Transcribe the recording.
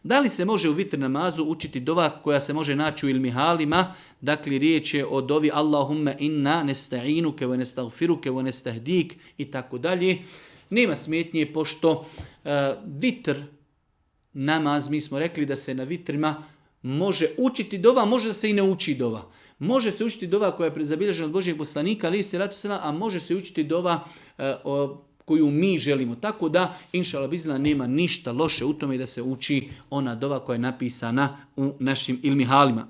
Da li se može u vitr namazu učiti dova koja se može naći u ilmihalima? Dakle, riječ je o dovi Allahumma inna nesta'inuke wa nestagfiruke wa nestahdik i tako dalje. Nema smetnje pošto vitr namaz, mi smo rekli da se na vitrima može učiti dova, može da se i ne uči dova. Može se učiti dova koja je zabilježena od Božijeg poslanika, ali se ratu selam, a može se učiti dova koju mi želimo. Tako da, inšallah bizna, nema ništa loše u tome da se uči ona dova koja je napisana u našim ilmihalima.